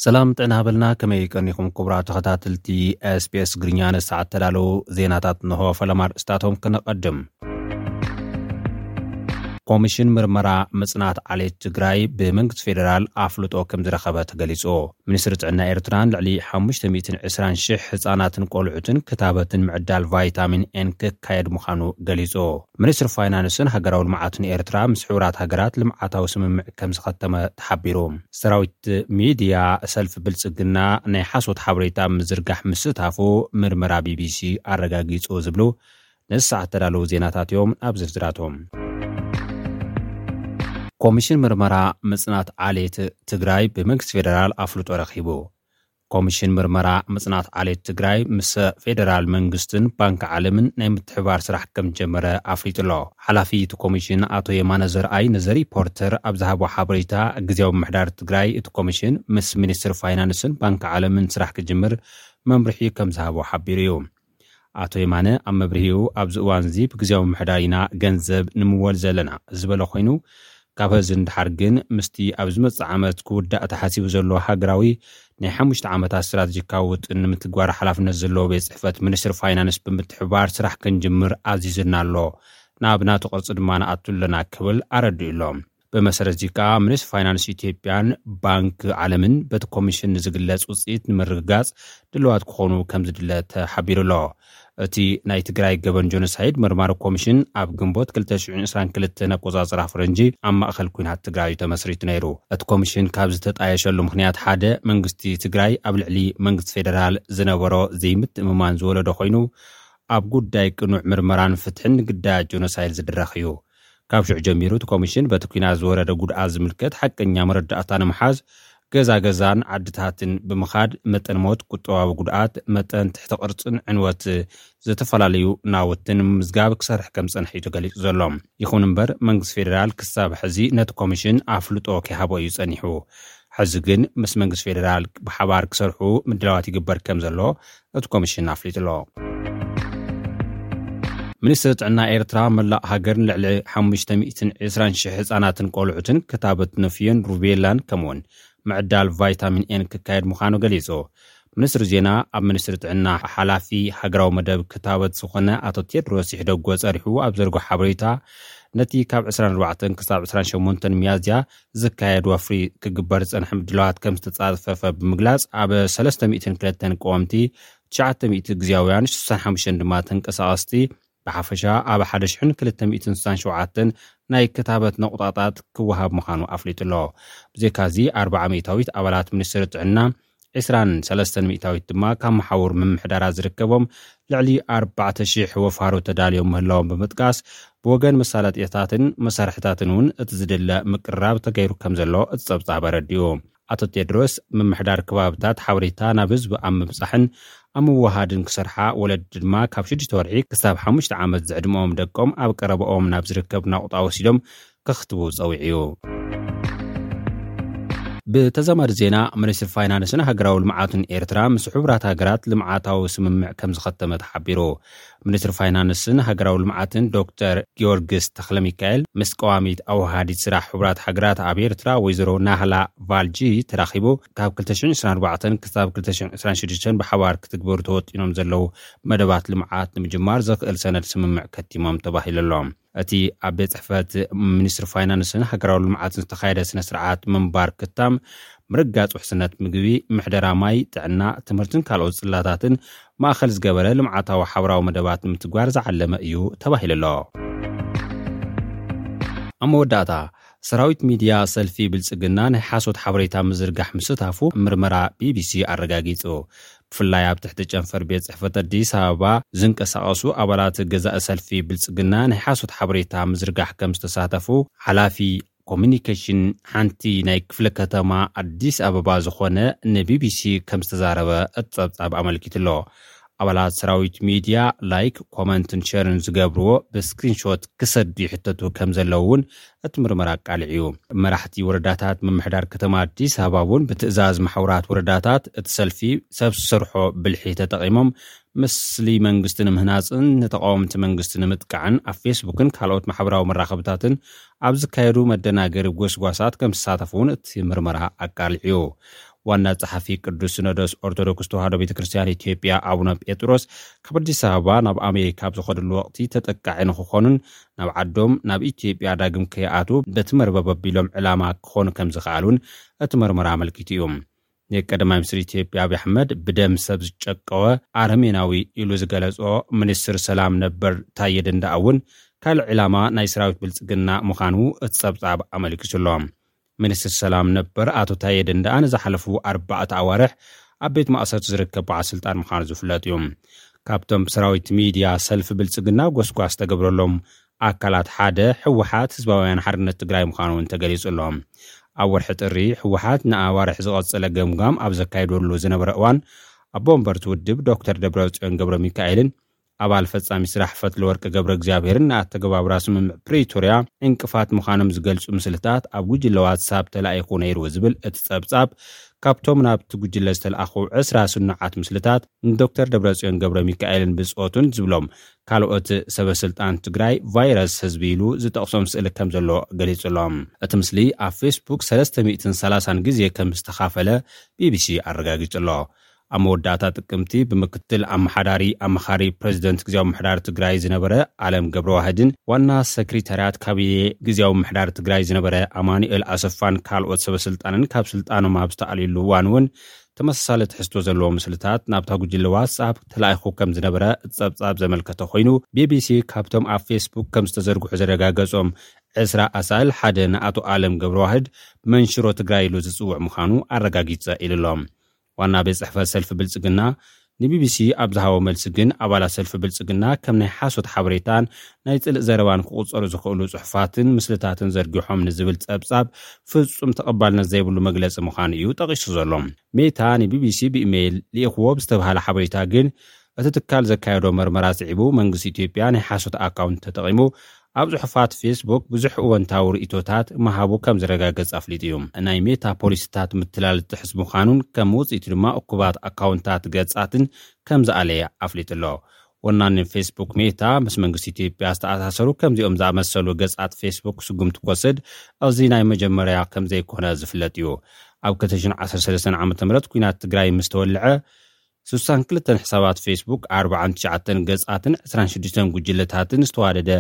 ሰላም ጥዕና ሃበልና፣ ከመይ ቀኒኹም ክቡራት ተኸታተልቲ ኤስቢኤስ ትግርኛ? ንሰዓት ተዳለዉ ዜናታት እንሆ። ፈለማ ኣርእስታቶም ክነቐድም። ኮሚሽን ምርመራ ምጽናት ዓሌት ትግራይ ብመንግስቲ ፌደራል ኣፍልጦ ከም ዝረኸበ ተገሊጹ። ሚኒስትሪ ጥዕና ኤርትራ ንልዕሊ ሓሙሽተ ሚእትን ዕስራን ሽሕ ህጻናትን ቆልዑትን ክታበትን ምዕዳል ቫይታሚን ኤን ክካየድ ምዃኑ ገሊጹ። ሚኒስትሪ ፋይናንስን ሃገራዊ ልምዓትን ኤርትራ ምስ ሕቡራት ሃገራት ልምዓታዊ ስምምዕ ከም ዝኸተመ ተሓቢሩ። ሰራዊት ሚድያ ሰልፊ ብልጽግና ናይ ሓሶት ሓበሬታ ምዝርጋሕ ምስታፉ ምርመራ ቢቢሲ ኣረጋጊጹ ዝብሉ ነዚ ሰዓት ተዳለዉ ዜናታት እዮም። ኣብ ዝርዝራቶም፣ ኮሚሽን ምርመራ ምጽናት ዓሌት ትግራይ ብመንግስቲ ፌደራል ኣፍልጦ ረኺቡ። ኮሚሽን ምርመራ ምጽናት ዓሌት ትግራይ ምስ ፌደራል መንግስትን ባንክ ዓለምን ናይ ምትሕባር ስራሕ ከም ጀመረ ኣፍሊጡ ኣሎ። ሓላፊ እቲ ኮሚሽን ኣቶ የማነ ዘርኣይ ንዘ ሪፖርተር ኣብ ዝሃቦ ሓበሬታ፣ ግዜያዊ ምምሕዳር ትግራይ እቲ ኮሚሽን ምስ ሚኒስትሪ ፋይናንስን ባንክ ዓለምን ስራሕ ክጅምር መምርሒ ከም ዝሃቦ ሓቢሩ እዩ። ኣቶ የማነ ኣብ መብርሂኡ፣ ኣብዚ እዋን እዚ ብግዜያዊ ምምሕዳር ኢና ገንዘብ ንምወል ዘለና ዝበለ ኮይኑ፣ ካብ ሐዚ ንድሓር ግን ምስቲ ኣብ ዝመጽእ ዓመት ክውዳእ ተሓሲቡ ዘሎ ሃገራዊ ናይ ሓሙሽተ ዓመታት ስትራቴጂካዊ ውጥን ንምትግባር ሓላፍነት ዘለዎ ቤት ጽሕፈት ሚኒስትሪ ፋይናንስ ብምትሕብባር ስራሕ ክንጅምር ኣዚዝና ኣሎ። ናብ ናቱ ቅርጺ ድማ ንኣቱ ኣለና ክብል ኣረዲኡ ኣሎ። ብመሰረት እዚ ከኣ ሚኒስትሪ ፋይናንስ ኢትዮጵያን ባንክ ዓለምን በቲ ኮሚሽን ንዝግለጽ ውጽኢት ንምርግጋጽ ድልዋት ክኾኑ ከም ዝድለ ተሓቢሩ ኣሎ። እቲ ናይ ትግራይ ገበን ጆኖሳይድ መርማሪ ኮሚሽን ኣብ ግንቦት ክልተ ሽሕን ዕስራን ክልተን ኣቆጻጽራ ፈረንጂ ኣብ ማእኸል ኲናት ትግራይ እዩ ተመስሪቱ ነይሩ። እቲ ኮሚሽን ካብ ዝተጣየሸሉ ምኽንያት ሓደ መንግስቲ ትግራይ ኣብ ልዕሊ መንግስቲ ፌደራል ዝነበሮ ዘይምትእምማን ዝወለዶ ኮይኑ፣ ኣብ ጉዳይ ቅኑዕ ምርመራን ፍትሕን ንግዳያት ጆኖሳይድ ዝድረኽ እዩ። ካብ ሽዑ ጀሚሩ እቲ ኮሚሽን በቲ ኲናት ዝወረደ ጉድኣት ዝምልከት ሓቀኛ መረዳእታ ንምሓዝ ገዛ ገዛን ዓድታትን ብምኻድ መጠን ሞት፣ ቁጠባዊ ጉድኣት፣ መጠን ትሕቲ ቅርጽን ዕንወት ዝተፈላለዩ ናውትን ንምምዝጋብ ክሰርሕ ከም ዝጸንሐ እዩ ተገሊጹ ዘሎ። ይኹን እምበር መንግስቲ ፌደራል ክሳብ ሕዚ ነቲ ኮሚሽን ኣፍልጦ ከይሃቦ እዩ ጸኒሑ። ሕዚ ግን ምስ መንግስቲ ፌደራል ብሓባር ክሰርሑ ምድላዋት ይግበር ከም ዘሎ እቲ ኮሚሽን ኣፍሊጡ ኣሎ። ሚኒስትሪ ጥዕና ኤርትራ መላእ ሃገር ንልዕሊ ሓሙሽተ ሚእትን ዕስራን ሽሕ ህጻናትን ቆልዑትን ክታበት ንፍዮን ሩቤላን ከምኡውን ምዕዳል ቫይታሚን ኤን ክካየድ ምዃኑ ገሊጹ። ሚኒስትሪ ዜና ኣብ ሚኒስትሪ ጥዕና ሓላፊ ሃገራዊ መደብ ክታበት ዝኾነ ኣቶ ቴድሮስ ይሕደጎ ጸሪሑ ኣብ ዘርግሖ ሓበሬታ፣ ነቲ ካብ ዕስራን ኣርባዕተን ክሳብ ዕስራን ሸሞንተን ሚያዝያ ዝካየድ ወፍሪ ክግበር ዝጸንሐ ምድላዋት ከም ዝተጻፈፈ ብምግላጽ፣ ኣብ ሰለስተ ሚእትን ክልተን ቀወምቲ፣ ትሽዓተ ሚእቲ ግዜያውያን፣ ሽሳን ሓሙሽተን ድማ ተንቀሳቐስቲ፣ ብሓፈሻ ኣብ ሓደ ሽሕን ክልተ ሚእትን ስሳን ሸውዓተን ናይ ክታበት ነቑጣታት ክወሃብ ምዃኑ ኣፍሊጡ ኣሎ። ብዘይካዚ፣ ኣርብዓ ሚእታዊት ኣባላት ሚኒስትሪ ጥዕና፣ ዕስራን ሰለስተን ሚእታዊት ድማ ካብ መሓውር ምምሕዳራት ዝርከቦም ልዕሊ ኣርባዕተ ሽሕ ወፋሩ ተዳልዮም ምህላዎም ብምጥቃስ፣ ብወገን መሳለጥያታትን መሳርሕታትን እውን እቲ ዝድለ ምቅርራብ ተገይሩ ከም ዘሎ እቲ ጸብጻብ ኣረዲኡ። ኣቶ ቴድሮስ፣ ምምሕዳር ከባብታት ሓበሬታ ናብ ህዝቢ ኣብ ምብጻሕን ኣብ ምውሃድን ክሰርሓ፣ ወለዲ ድማ ካብ ሽዱሽተ ወርሒ ክሳብ ሓሙሽተ ዓመት ዝዕድመኦም ደቆም ኣብ ቀረባኦም ናብ ዝርከብ ናቑጣ ወሲዶም ከኽትቡ ጸዊዑ እዩ። ብተዛማዲ ዜና፣ ሚኒስትሪ ፋይናንስን ሃገራዊ ልምዓትን ኤርትራ ምስ ሕቡራት ሃገራት ልምዓታዊ ስምምዕ ከም ዝኸተመ ተሓቢሩ። ሚኒስትሪ ፋይናንስን ሃገራዊ ልምዓትን ዶክተር ጊዮርጊስ ተኽለሚካኤል ምስ ቀዋሚት ኣወሃዲት ስራሕ ሕቡራት ሃገራት ኣብ ኤርትራ ወይዘሮ ናህላ ቫልጂ ተራኺቡ፣ ካብ ክልተ ሽሕን ዕስራን ኣርባዕተን ክሳብ ክልተ ሽሕን ዕስራን ሽዱሽተን ብሓባር ክትግበሩ ተወጢኖም ዘለዉ መደባት ልምዓት ንምጅማር ዘኽእል ሰነድ ስምምዕ ከቲሞም ተባሂሉ ኣሎ። እቲ ኣብ ቤት ጽሕፈት ሚኒስትሪ ፋይናንስን ሃገራዊ ልምዓትን ዝተኻየደ ስነ ስርዓት ምንባር ክታም፣ ምርግጋጽ ውሕስነት ምግቢ፣ ምሕደራ ማይ፣ ጥዕና፣ ትምህርትን ካልኦት ጽላታትን ማእኸል ዝገበረ ልምዓታዊ ሓበራዊ መደባት ንምትግባር ዝዓለመ እዩ ተባሂሉ ኣሎ። ኣብ መወዳእታ፣ ሰራዊት ሚድያ ሰልፊ ብልጽግና ናይ ሓሶት ሓበሬታ ምዝርጋሕ ምስታፉ ምርመራ ቢቢሲ ኣረጋጊጹ። ብፍላይ ኣብ ትሕቲ ጨንፈር ቤት ጽሕፈት ኣዲስ ኣበባ ዝንቀሳቐሱ ኣባላት ገዛኢ ሰልፊ ብልጽግና ናይ ሓሶት ሓበሬታ ምዝርጋሕ ከም ዝተሳተፉ ሓላፊ ኮሚኒኬሽን ሓንቲ ናይ ክፍለ ከተማ ኣዲስ ኣበባ ዝኾነ ንቢቢሲ ከም ዝተዛረበ እቲ ጸብጻብ ኣመልኪቱ ኣሎ። ኣባላት ሰራዊት ሚድያ ላይክ፣ ኮመንትን ሸርን ዝገብርዎ ብስክሪንሾት ክሰዱ ይሕተቱ ከም ዘለዉ እውን እቲ ምርመራ ኣቃሊዑ እዩ። መራሕቲ ወረዳታት ምምሕዳር ከተማ ኣዲስ ኣበባ እውን ብትእዛዝ ማሕበራት ወረዳታት እቲ ሰልፊ ሰብ ዝሰርሖ ብልሒ ተጠቒሞም ምስሊ መንግስቲ ንምህናፅን ንተቃወምቲ መንግስቲ ንምጥቃዕን ኣብ ፌስቡክን ካልኦት ማሕበራዊ መራኸብታትን ኣብ ዝካየዱ መደናገሪ ጎስጓሳት ከም ዝሳተፉ እውን እቲ ምርመራ ኣቃሊዑ እዩ። ዋና ጸሓፊ ቅዱስ ሲኖዶስ ኦርቶዶክስ ተዋህዶ ቤተ ክርስቲያን ኢትዮጵያ ኣቡነ ጴጥሮስ፣ ካብ ኣዲስ ኣበባ ናብ ኣሜሪካ ኣብ ዝኸድሉ ወቕቲ ተጠቃዒ ንክኾኑን ናብ ዓዶም ናብ ኢትዮጵያ ዳግም ከይኣትዉ በቲ መርበብ ኣቢሎም ዕላማ ክኾኑ ከም ዝኸኣሉን እቲ መርመራ ኣመልኪቱ እዩ። ንቀዳማይ ሚኒስትር ኢትዮጵያ ኣብይ ኣሕመድ ብደም ሰብ ዝጨቀወ ኣረሜናዊ ኢሉ ዝገለጾ ሚኒስትር ሰላም ነበር ታየ ደንደኣ እውን ካልእ ዕላማ ናይ ሰራዊት ብልጽግና ምዃኑ እቲ ጸብጻብ ኣመልኪቱ ኣሎ። ሚኒስትር ሰላም ነበር ኣቶ ታየ ደንደኣ ንዝሓለፉ ኣርባዕተ ኣዋርሕ ኣብ ቤት ማእሰርቲ ዝርከብ በዓል ስልጣን ምዃኑ ዝፍለጥ እዩ። ካብቶም ብሰራዊት ሚድያ ሰልፊ ብልጽግና ጎስጓስ ተገብረሎም ኣካላት ሓደ ህወሓት ህዝባውያን ሓርነት ትግራይ ምዃኑ እውን ተገሊጹ ኣሎ። ኣብ ወርሒ ጥሪ ህወሓት ንኣዋርሕ ዝቐጸለ ገምጋም ኣብ ዘካየደሉ ዝነበረ እዋን ኣቦ ወንበርቲ ውድብ ዶክተር ደብረጽዮን ገብረ ሚካኤልን ኣባል ፈጻሚ ስራሕ ፈትለወርቅ ገብረ እግዚኣብሔርን ንኣተገባብራ ስምምዕ ፕሪቶርያ ዕንቅፋት ምዃኖም ዝገልጹ ምስልታት ኣብ ጉጅለ ዋትሳፕ ተላኢኹ ነይሩ ዝብል እቲ ጸብጻብ፣ ካብቶም ናብቲ ጉጅለ ዝተለኣኹ ዕስራ ስኑዓት ምስልታት ንዶክተር ደብረጽዮን ገብረ ሚካኤልን ብጾቱን ዝብሎም ካልኦት ሰበ ስልጣን ትግራይ ቫይረስ ህዝቢ ኢሉ ዝጠቕሶም ስእሊ ከም ዘሎ ገሊጹ ኣሎ። እቲ ምስሊ ኣብ ፌስቡክ ሰለስተ ሚእትን ሰላሳን ግዜ ከም ዝተኻፈለ ቢቢሲ ኣረጋጊጹ ኣሎ። ኣብ መወዳእታ ጥቅምቲ ብምክትል ኣመሓዳሪ ኣመኻሪ ፕሬዚደንት ግዜያዊ ምምሕዳር ትግራይ ዝነበረ ኣለም ገብረዋህድን ዋና ሰክሪታርያት ካቢኔ ግዜያዊ ምምሕዳር ትግራይ ዝነበረ ኣማኑኤል ኣሰፋን ካልኦት ሰበ ስልጣንን ካብ ስልጣኖም ኣብ ዝተኣልዩሉ እዋን እውን ተመሳሳሊ ትሕዝቶ ዘለዎ ምስልታት ናብታ ጉጅለ ዋትስኣፕ ተላኢኹ ከም ዝነበረ ጸብጻብ ዘመልከተ ኮይኑ፣ ቢቢሲ ካብቶም ኣብ ፌስቡክ ከም ዝተዘርግሑ ዘረጋገጾም ዕስራ ኣሳእል ሓደ ንኣቶ ኣለም ገብረዋህድ መንሽሮ ትግራይ ኢሉ ዝጽውዕ ምዃኑ ኣረጋጊጸ ኢሉ ኣሎ። ዋና ቤት ጽሕፈት ሰልፊ ብልጽግና ንቢቢሲ ኣብ ዝሃቦ መልሲ ግን፣ ኣባላት ሰልፊ ብልጽግና ከም ናይ ሓሶት ሓበሬታን ናይ ጽልእ ዘረባን ክቑጸሩ ዝኽእሉ ጽሑፋትን ምስልታትን ዘርጊሖም ንዝብል ጸብጻብ ፍጹም ተቐባልነት ዘይብሉ መግለጺ ምዃኑ እዩ ጠቒሱ ዘሎ። ሜታ ንቢቢሲ ብኢሜይል ልኢኽዎ ብዝተባህለ ሓበሬታ ግን፣ እቲ ትካል ዘካየዶ መርመራ ስዒቡ መንግስቲ ኢትዮጵያ ናይ ሓሶት ኣካውንት ተጠቒሙ ኣብ ጽሑፋት ፌስቡክ ብዙሕ እወንታዊ ርእይቶታት ምሃቡ ከም ዝረጋገጽ ኣፍሊጡ እዩ። ናይ ሜታ ፖሊሲታት ምትላል ዝጥሕስ ምዃኑን ከም ውጽኢቱ ድማ እኩባት ኣካውንታት ገጻትን ከም ዝኣለየ ኣፍሊጡ ኣሎ። ወናኒ ፌስቡክ ሜታ ምስ መንግስቲ ኢትዮጵያ ዝተኣሳሰሩ ከምዚኦም ዝኣመሰሉ ገጻት ፌስቡክ ስጉምቲ ክወስድ እዚ ናይ መጀመርያ ከም ዘይኮነ ዝፍለጥ እዩ። ኣብ ክልተ ሽሕን ዓሰርተ ሰለስተን ዓመተ ምህረት ኲናት ትግራይ ምስ ተወልዐ፣ ስሳን ክልተን ሕሳባት ፌስቡክ፣ ኣርባዓን ትሽዓተን ገጻትን ዕስራን ሽዱሽተን ጉጅለታትን ዝተዋደደ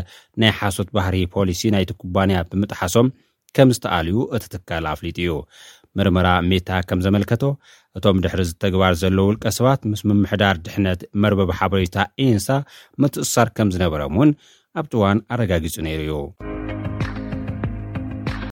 ናይ ሓሶት ባህሪ ፖሊሲ ናይቲ ኩባንያ ብምጥሓሶም ከም ዝተኣልዩ እቲ ትካል ኣፍሊጡ እዩ። ምርመራ ሜታ ከም ዘመልከቶ፣ እቶም ድሕሪ እዚ ተግባር ዘለዉ ውልቀ ሰባት ምስ ምምሕዳር ድሕነት መርበብ ሓበሬታ ኢንሳ ምትእስሳር ከም ዝነበሮም እውን ኣብቲ እዋን ኣረጋጊጹ ነይሩ እዩ።